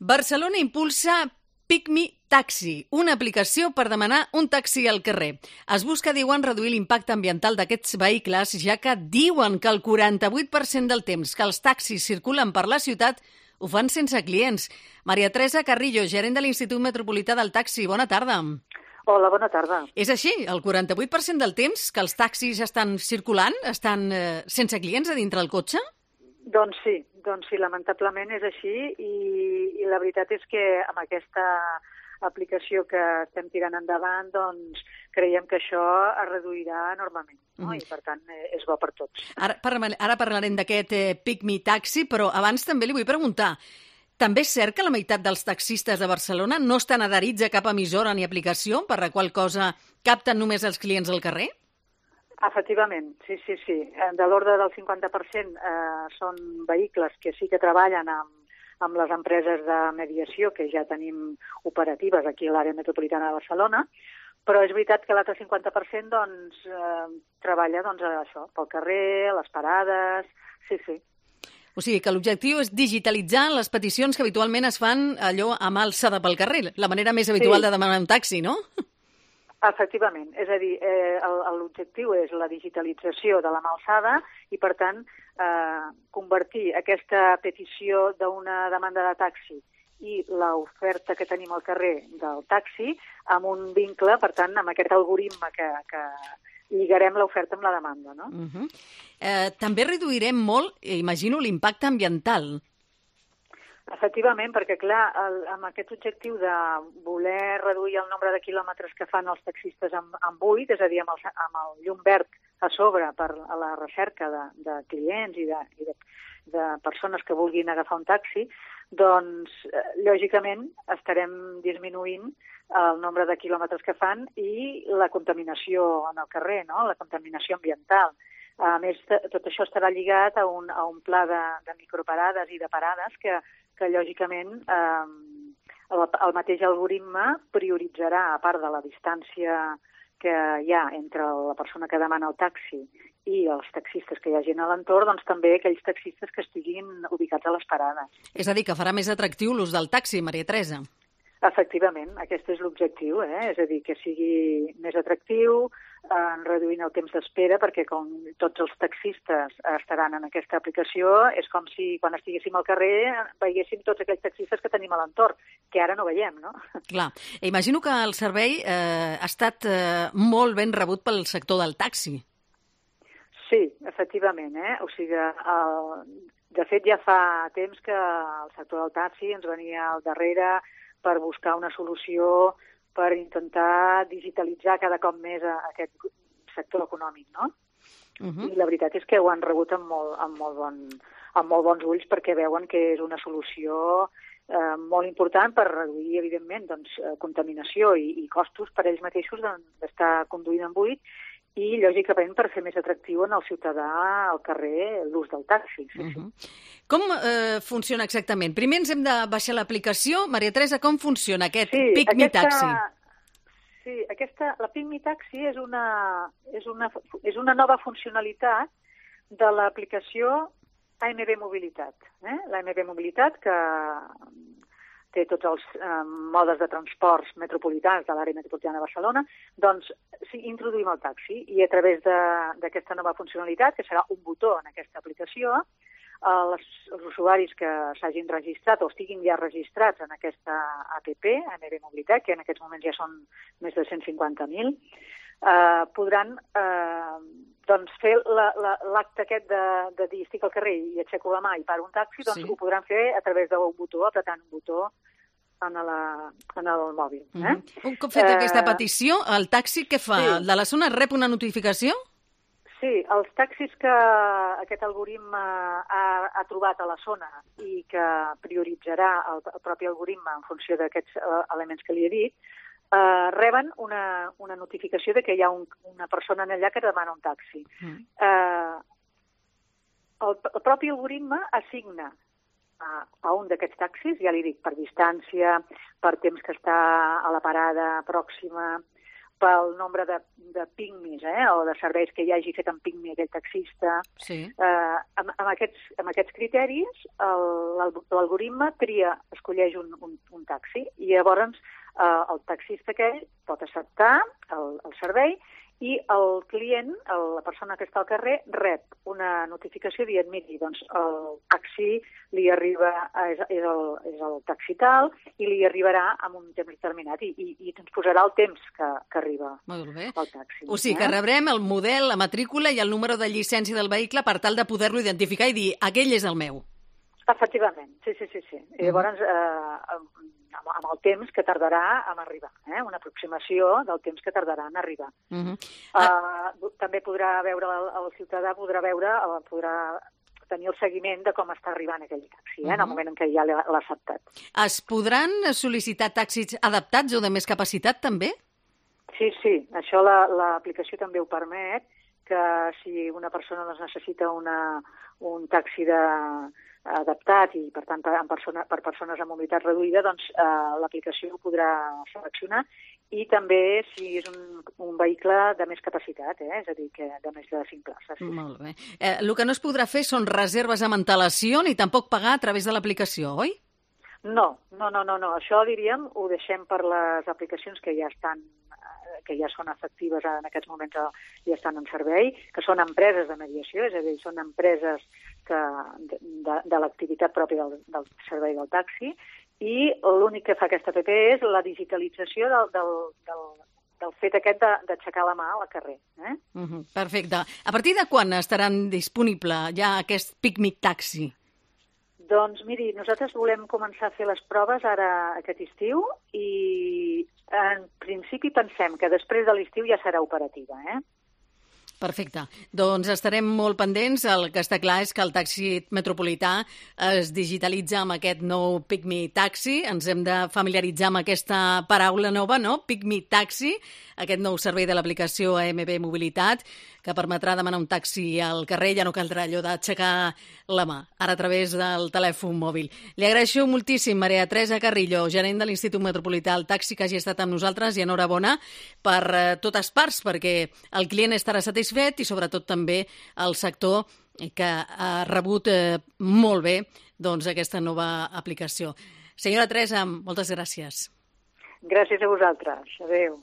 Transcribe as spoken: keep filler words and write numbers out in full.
Barcelona impulsa PickMe Taxi, una aplicació per demanar un taxi al carrer. Es busca, diuen, reduir l'impacte ambiental d'aquests vehicles, ja que diuen que el quaranta-vuit per cent del temps que els taxis circulen per la ciutat ho fan sense clients. Maria Teresa Carrillo, gerent de l'Institut Metropolità del Taxi. Bona tarda. Hola, bona tarda. És així, el quaranta-vuit per cent del temps que els taxis estan circulant, estan eh, sense clients a dintre el cotxe? Doncs sí, doncs sí, lamentablement és així i, i la veritat és que amb aquesta aplicació que estem tirant endavant, doncs creiem que això es reduirà enormement, no? Mm. I per tant és bo per tots. Ara, ara parlarem d'aquest eh, PickMe Taxi, però abans també li vull preguntar, també és cert que la meitat dels taxistes de Barcelona no estan adherits a cap emissora ni aplicació, per la qual cosa capten només els clients al carrer? Efectivament, sí, sí, sí. De l'ordre del cinquanta per cent eh, són vehicles que sí que treballen amb, amb les empreses de mediació que ja tenim operatives aquí a l'àrea metropolitana de Barcelona, però és veritat que l'altre cinquanta per cent doncs, eh, treballa doncs, això, pel carrer, a les parades, sí, sí. O sigui que l'objectiu és digitalitzar les peticions que habitualment es fan allò a mà alçada pel carrer, la manera més habitual sí. de demanar un taxi, no? Efectivament, és a dir, eh, l'objectiu és la digitalització de la mà alçada i, per tant, eh, convertir aquesta petició d'una demanda de taxi i l'oferta que tenim al carrer del taxi amb un vincle, per tant, amb aquest algoritme que, que lligarem l'oferta amb la demanda, no? Uh-huh. eh, també reduirem molt, imagino, l'impacte ambiental. Efectivament, perquè, clar, el, amb aquest objectiu de voler reduir el nombre de quilòmetres que fan els taxistes amb, amb buit, és a dir, amb el, amb el llum verd a sobre per a la recerca de, de clients i, de, i de, de persones que vulguin agafar un taxi, doncs, eh, lògicament, estarem disminuint el nombre de quilòmetres que fan i la contaminació en el carrer, no?, la contaminació ambiental. A més, tot això estarà lligat a un, a un pla de, de microparades i de parades que, que lògicament, eh, el, el mateix algoritme prioritzarà, a part de la distància que hi ha entre la persona que demana el taxi i els taxistes que hi hagin a l'entorn, doncs també aquells taxistes que estiguin ubicats a les parades. És a dir, que farà més atractiu l'ús del taxi, Maria Teresa. Efectivament, aquest és l'objectiu, eh? És a dir, que sigui més atractiu, eh, reduint el temps d'espera, perquè com tots els taxistes estaran en aquesta aplicació, és com si quan estiguéssim al carrer veiéssim tots aquells taxistes que tenim a l'entorn, que ara no veiem, no? Clar. Imagino que el servei eh, ha estat eh, molt ben rebut pel sector del taxi. Sí, efectivament, eh? O sigui, el... de fet ja fa temps que el sector del taxi ens venia al darrere per buscar una solució per intentar digitalitzar cada cop més a aquest sector econòmic, no? Uh-huh. I la veritat és que ho han rebut amb molt, amb molt, bon, amb molt bons ulls perquè veuen que és una solució eh, molt important per reduir, evidentment, doncs, contaminació i, i costos per ells mateixos d'estar conduint en buit i, lògicament, per fer més atractiu en el ciutadà al carrer l'ús del taxi. Sí, uh-huh. sí. Com eh, funciona exactament? Primer ens hem de baixar l'aplicació. Maria Teresa, com funciona aquest sí, PickMe Taxi? Sí, aquesta, la PickMe Taxi és una, és, una, és una nova funcionalitat de l'aplicació A M B Mobilitat. Eh? L'A M B Mobilitat, que té tots els eh, modes de transports metropolitans de l'àrea metropolitana de Barcelona, doncs sí, introduïm el taxi i a través d'aquesta nova funcionalitat, que serà un botó en aquesta aplicació, eh, les, els usuaris que s'hagin registrat o estiguin ja registrats en aquesta app, A M B Mobilitat, que en aquests moments ja són més de cent cinquanta mil, eh, podran eh, doncs fer l'acte la, la, aquest de, de dir estic al carrer i aixeco la mà i paro un taxi, doncs sí. Ho podran fer a través d'un botó, apretant un botó en, la, en el mòbil. Eh? Uh-huh. Un cop feta eh, aquesta petició, el taxi què fa? Sí. El de la zona rep una notificació? Sí, els taxis que aquest algoritme ha, ha trobat a la zona i que prioritzarà el, el propi algoritme en funció d'aquests uh, elements que li he dit, Uh, reben una, una notificació de que hi ha un, una persona allà que demana un taxi. Mm. Uh, el, el propi algoritme assigna a, a un d'aquests taxis, ja li dic, per distància, per temps que està a la parada pròxima, pel nombre de, de pigmis, eh, o de serveis que hi hagi fet en pigmi aquell taxista. Sí. Eh, amb, amb, aquests, amb aquests criteris, l'algoritme tria, escolleix un, un, un taxi, i llavors eh, el taxista aquell pot acceptar el, el servei, i el client, el, la persona que està al carrer, rep una notificació dient, miri, doncs el taxi li arriba, és, és, el, és el taxi tal, i li arribarà en un temps determinat, i, i, i ens posarà el temps que, que arriba Molt bé. el taxi. O sigui, eh? que rebrem el model, la matrícula i el número de llicència del vehicle per tal de poder-lo identificar i dir, aquell és el meu. Efectivament, sí, sí, sí. sí. I llavors, eh, amb, amb el temps que tardarà en arribar, eh? Una aproximació del temps que tardarà en arribar. Uh -huh. ah. uh, també podrà veure, el, el ciutadà podrà veure, uh, podrà tenir el seguiment de com està arribant aquell taxi, eh? Uh -huh. En el moment en què ja l'ha acceptat. Es podran sol·licitar taxis adaptats o de més capacitat, també? Sí, sí, això l'aplicació la, també ho permet, que si una persona doncs, necessita una, un taxi de adaptat i, per tant, per, persona, per persones amb mobilitat reduïda, doncs eh, l'aplicació ho podrà seleccionar, i també si és un, un vehicle de més capacitat, eh? És a dir, que de més de cinc places. Sí. Molt bé. Eh, el que no es podrà fer són reserves amb antelació ni tampoc pagar a través de l'aplicació, oi? No, no, no, no, no. Això, diríem, ho deixem per les aplicacions que ja estan que ja són efectives en aquests moments, ja estan en servei, que són empreses de mediació, és a dir, són empreses que, de, de l'activitat pròpia del, del servei del taxi, i l'únic que fa aquesta app és la digitalització del, del, del, del fet aquest d'aixecar la mà al carrer. Eh? Uh -huh, perfecte. A partir de quan estaran disponible ja aquest PicMe Taxi? Doncs miri, nosaltres volem començar a fer les proves ara aquest estiu i en principi pensem que després de l'estiu ja serà operativa, eh? Perfecte. Doncs estarem molt pendents. El que està clar és que el taxi metropolità es digitalitza amb aquest nou PicMe Taxi. Ens hem de familiaritzar amb aquesta paraula nova, no? PicMe Taxi, aquest nou servei de l'aplicació A M B Mobilitat, que permetrà demanar un taxi al carrer. Ja no caldrà allò d'aixecar la mà, ara a través del telèfon mòbil. Li agraeixo moltíssim, Maria Teresa Carrillo, gerent de l'Institut Metropolità del Taxi, que hagi estat amb nosaltres, i enhorabona per eh, totes parts, perquè el client estarà satisfet i sobretot també el sector que ha rebut eh, molt bé doncs, aquesta nova aplicació. Senyora Teresa, moltes gràcies. Gràcies a vosaltres. Adéu.